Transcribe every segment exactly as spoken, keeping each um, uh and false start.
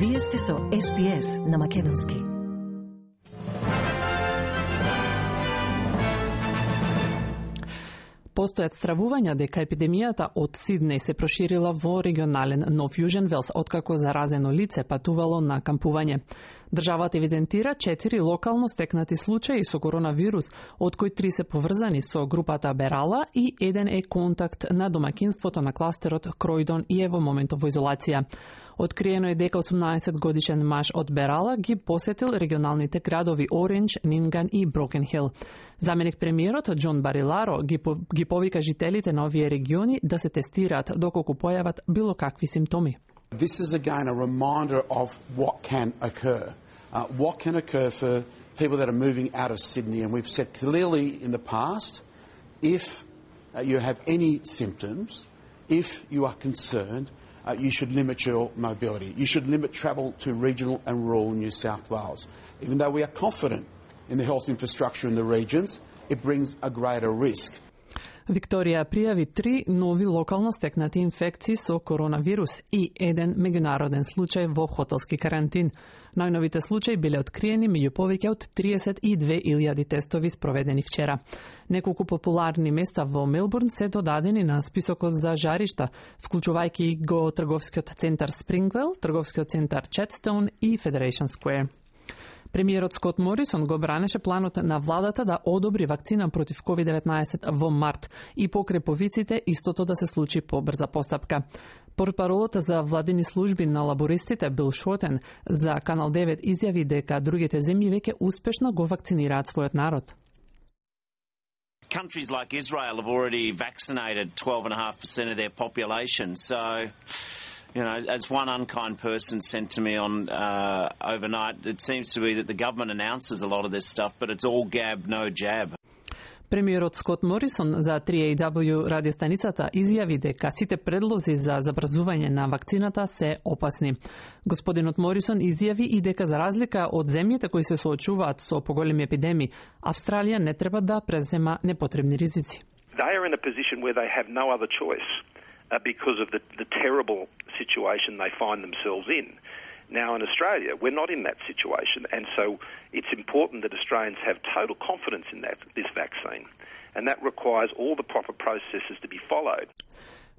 Вие сте со Ес Би Ес на Македонски. Постојат стравувања дека епидемијата од Сиднеј се проширила во регионален Нов Јужен Велс, откако заразено лице патувало на кампување. Државата евидентира четири локално стекнати случаи со коронавирус, од кои три се поврзани со групата Берала и еден е контакт на домаќинството на кластерот Кројдон и е во моментов во изолација. Откриено е дека осумнаесет годишен маж од Берала ги посетил регионалните градови Орендж, Нинган и Брокен Хил. Заменик премиерот Џон Бариларо ги, по, ги повика жителите на овие региони да се тестираат доколку појават било какви симптоми. This is again a reminder of what can occur. Uh, what can occur for people that are moving out of Sydney, and we've said clearly in the past, if uh, you have any symptoms, if you are concerned, Uh, you should limit your mobility. You should limit travel to regional and rural New South Wales. Even though we are confident in the health infrastructure in the regions, it brings a greater risk. Викторија пријави три нови локално стекнати инфекции со коронавирус и еден меѓународен случај во хотелски карантин. Најновите случаи биле откриени меѓу повеќе од триесет и две илјади тестови спроведени вчера. Неколку популарни места во Мелбурн се додадени на списокот за жаришта, вклучувајќи го трговскиот центар Спрингвел, трговскиот центар Четстоун и Федерейшн Сквер. Премиерот Скот Морисон го бранеше планот на владата да одобри вакцина против ковид деветнаесет во март и покре повиците истото да се случи по брза постапка. Портпаролот за владини служби на лабористите Бил Шотен за Канал девет изјави дека другите земји веќе успешно го вакцинираат својот народ. Countries like Israel have already vaccinated twelve point five percent of their population, so you know, as one unkind person sent to me on uh, overnight, it seems to be that the government announces a lot of this stuff, but it's all gab, no jab. Премиерот Скот Морисон за три ей дабл ю радиостаницата изјави дека сите предлози за забрзување на вакцината се опасни. Господинот Морисон изјави и дека за разлика од земјите кои се соочуваат со поголеми епидемии, Австралија не треба да презема непотребни ризици. They are in a position where they have no other choice uh, because of the, the terrible situation they find themselves in. Now in Australia, we're not in that situation, and so it's important that Australians have total confidence in that this vaccine, and that requires all the proper processes to be followed.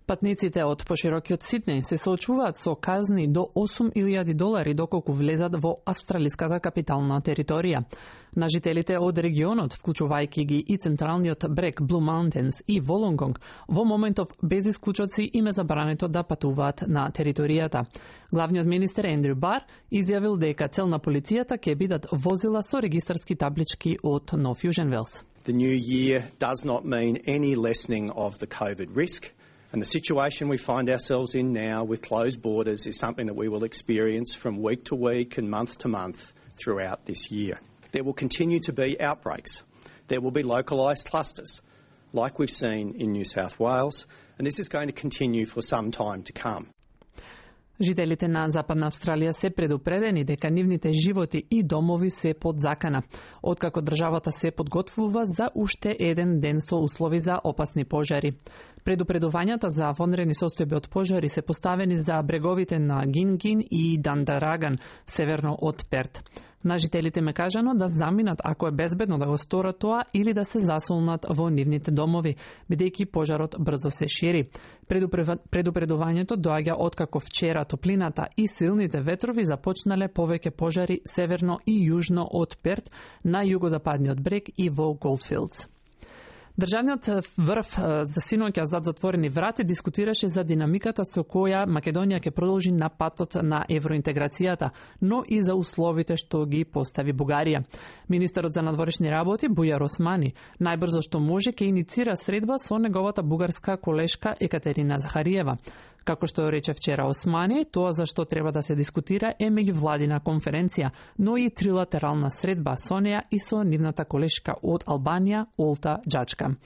Патниците од поширокиот Сиднеј се соочуваат со казни до осум илјади долари доколку влезат во австралиската капитална територија. На жителите од регионот, вклучувајќи ги и централниот брег Блу Маунтенс и Волонгонг, во моментов без исклучоци им е забрането да патуваат на територијата. Главниот министер Ендрю Бар изјавил дека цел на полицијата ќе бидат возила со регистарски таблички од Нов Јужен Велс. The new year does not mean any lessening of the COVID risk. And the situation we find ourselves in now with closed borders is something that we will experience from week to week and month to month throughout this year. There will continue to be outbreaks. There will be localised clusters, like we've seen in New South Wales, and this is going to continue for some time to come. Жителите на Западна Австралија се предупредени дека нивните животи и домови се под закана, откако државата се подготвува за уште еден ден со услови за опасни пожари. Предупредувањата за вонредни состојби од пожари се поставени за бреговите на Гингин и Дандараган, северно од Перт. На жителите ме кажано да заминат ако е безбедно да го сторат тоа или да се засолнат во нивните домови, бидејќи пожарот брзо се шири. Предупредувањето доаѓа откако вчера топлината и силните ветрови започнале повеќе пожари северно и јужно од Перт на југозападниот брег и во Голдфилдс. Државниот врв за синоќа зад затворени врати дискутираше за динамиката со која Македонија ќе продолжи на патот на евроинтеграцијата, но и за условите што ги постави Бугарија. Министерот за надворешни работи Бујар Османи најбрзо што може ќе иницира средба со неговата бугарска колешка Екатерина Захариева. Како што рече вчера Османи, тоа за што треба да се дискутира е меѓувладина конференција, но и трилатерална средба со неа и со нивната колешка од Албанија, Олта Џачка.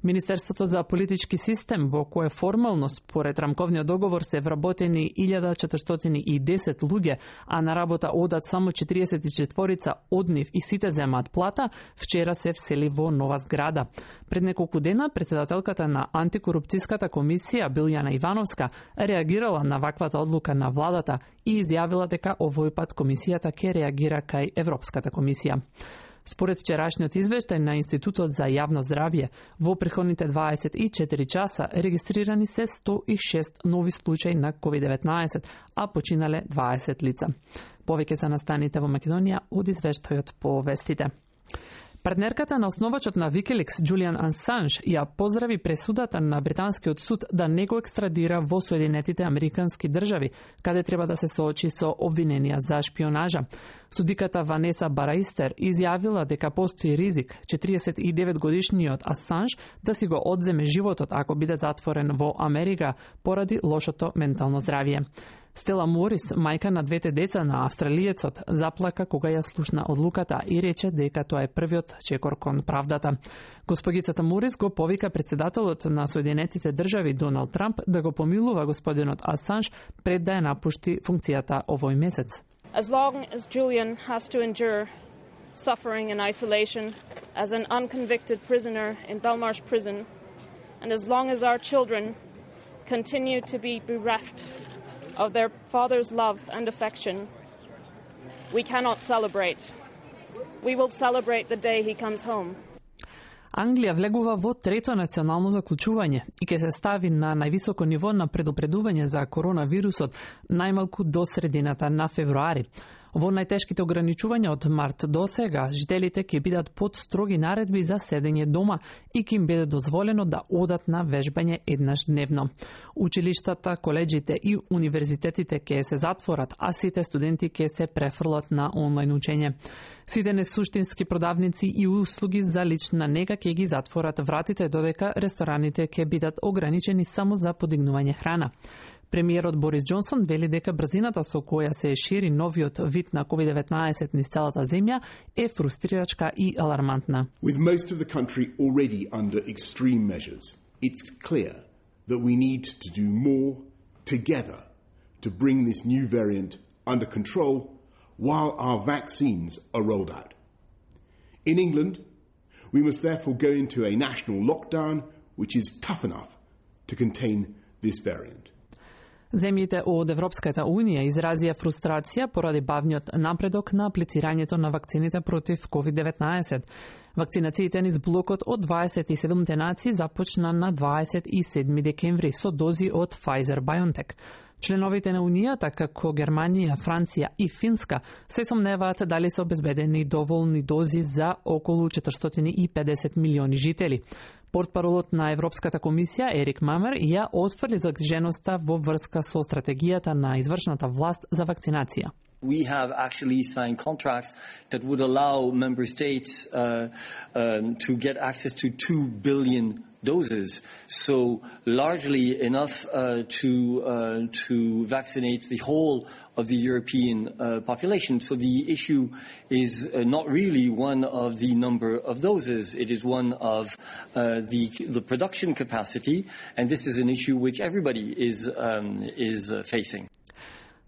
Министерството за политички систем, во кое формално според рамковниот договор се вработени илјада четиристотини и десет луѓе, а на работа одат само четириесет и четворица од нив и сите земаат плата, вчера се всели во нова зграда. Пред неколку дена председателката на антикорупцијската комисија Билјана Ивановска реагирала на ваквата одлука на владата и изјавила дека овој пат комисијата ќе реагира кај Европската комисија. Според вчерашниот извештај на Институтот за јавно здравје, во претходните дваесет и четири часа регистрирани се сто и шест нови случаи на ковид деветнаесет, а починале дваесет лица. Повеќе за настаните во Македонија од извештајот по вестите. Партнерката на основачот на Wikileaks, Джулијан Асанж, ја поздрави пресудата на британскиот суд да не го екстрадира во Соединетите Американски држави, каде треба да се соочи со обвиненија за шпионажа. Судиката Ванеса Бараистер изјавила дека постои ризик четириесет и девет годишниот Асанж да си го одземе животот ако биде затворен во Америка поради лошото ментално здравје. Стела Морис, мајка на двете деца на австралиецот, заплака кога ја слушна одлуката и рече дека тоа е првиот чекор кон правдата. Госпогицата Морис го повика председателот на Соединетите држави Доналд Трамп да го помилува господинот Асанж пред да ја напушти функцијата овој месец. As long as Julian has to endure suffering and isolation as an unconvicted prisoner in Belmarsh prison, and as long as our children continue to be bereft of their father's love and affection, we cannot celebrate. We will celebrate the day he comes home. Англија влегува во трето национално заклучување и ќе се стави на највисоко ниво на предупредување за коронавирусот најмалку до средината на февруари. Во најтешките ограничувања од март до сега, жителите ќе бидат под строги наредби за седење дома и ќе им биде дозволено да одат на вежбање еднаш дневно. Училиштата, коледжите и универзитетите ќе се затворат, а сите студенти ќе се префрлат на онлайн учење. Сите несуштински продавници и услуги за лична нега ќе ги затворат вратите, додека рестораните ќе бидат ограничени само за подигнување храна. Премиерот Борис Џонсон вели дека брзината со која се шири новиот вид на ковид деветнаесет низ целата земја е фрустрирачка и алармантна. With most of the country already under extreme measures, it's clear that we need to do more together to bring this new variant under control while our vaccines are rolled out. In England, we must therefore go into a national lockdown which is tough enough to contain this variant. Земјите од Европската Унија изразија фрустрација поради бавниот напредок на аплицирањето на вакцините против ковид деветнаесет. Вакцинациите низ блокот од дваесет и седумте нации започна на дваесет и седми декември со дози од Pfizer-BioNTech. Членовите на Унијата, како Германија, Франција и Финска, се сомневаат дали се обезбедени доволни дози за околу четиристотини и педесет милиони жители. Портпаролот на Европската комисија Ерик Мамер ја отфрли загриженоста во врска со стратегијата на извршната власт за вакцинација. We have actually signed contracts that would allow member states uh, um, to get access to two billion doses, so largely enough uh, to uh, to vaccinate the whole of the European uh, population. So the issue is uh, not really one of the number of doses, it is one of uh, the the production capacity, and this is an issue which everybody is um, is uh, facing.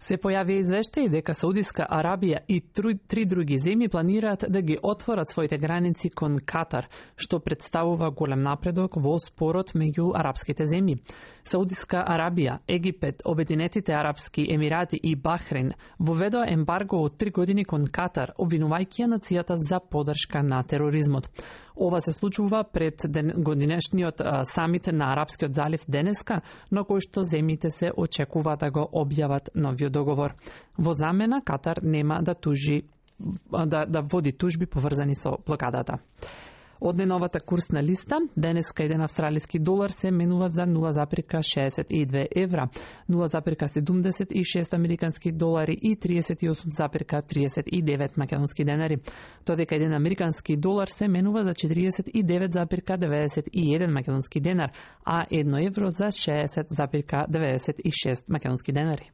Се појави извештај дека Саудиска Арабија и три други земји планираат да ги отворат своите граници кон Катар, што представува голем напредок во спорот меѓу арапските земји. Саудиска Арабија, Египет, Обединетите Арапски Емирати и Бахрейн воведоа ембарго од три години кон Катар, обвинувајќи ја нацијата за поддршка на тероризмот. Ова се случува пред годинешниот самит на Арапскиот залив денеска, на кој што земјите се очекува да го објават новиот договор. Во замена Катар нема да тужи да, да води тужби поврзани со блокадата. Од најновата курсна листа, денеска еден австралиски долар се менува за нула запирка шеесет и две евра, нула запирка седумдесет и шест американски долари и триесет и осум запирка триесет и девет македонски денари. Додека еден американски долар се менува за четириесет и девет запирка деветдесет и еден македонски денар, а едно евро за шеесет запирка деветдесет и шест македонски денари.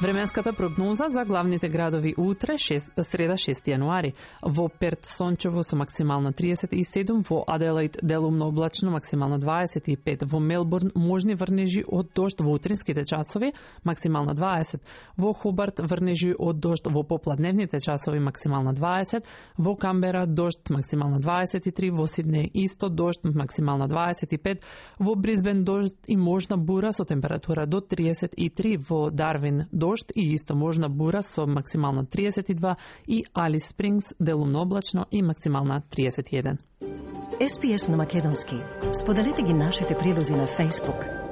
Временската прогноза за главните градови утре, шест, среда шести јануари. Во Перт сончево со максимална триесет и седум, во Аделаид делумно облачно максимална дваесет и пет, во Мелбурн можни врнежи од дожд во утринските часови максимална дваесет, во Хобарт врнежи од дожд во попладневните часови максимална дваесет, во Камбера дожд максимална дваесет и три, во Сиднеј исто дожд максимална дваесет и пет, во Брисбен дожд и можна бура со температура до триесет и три, во Дарвин дожд и исто можна бура со максимална триесет и два и Алис Спрингс делумно облачно и максимална триесет и еден. Ес Пи Ес на македонски. Споделете ги нашите прилози на Facebook.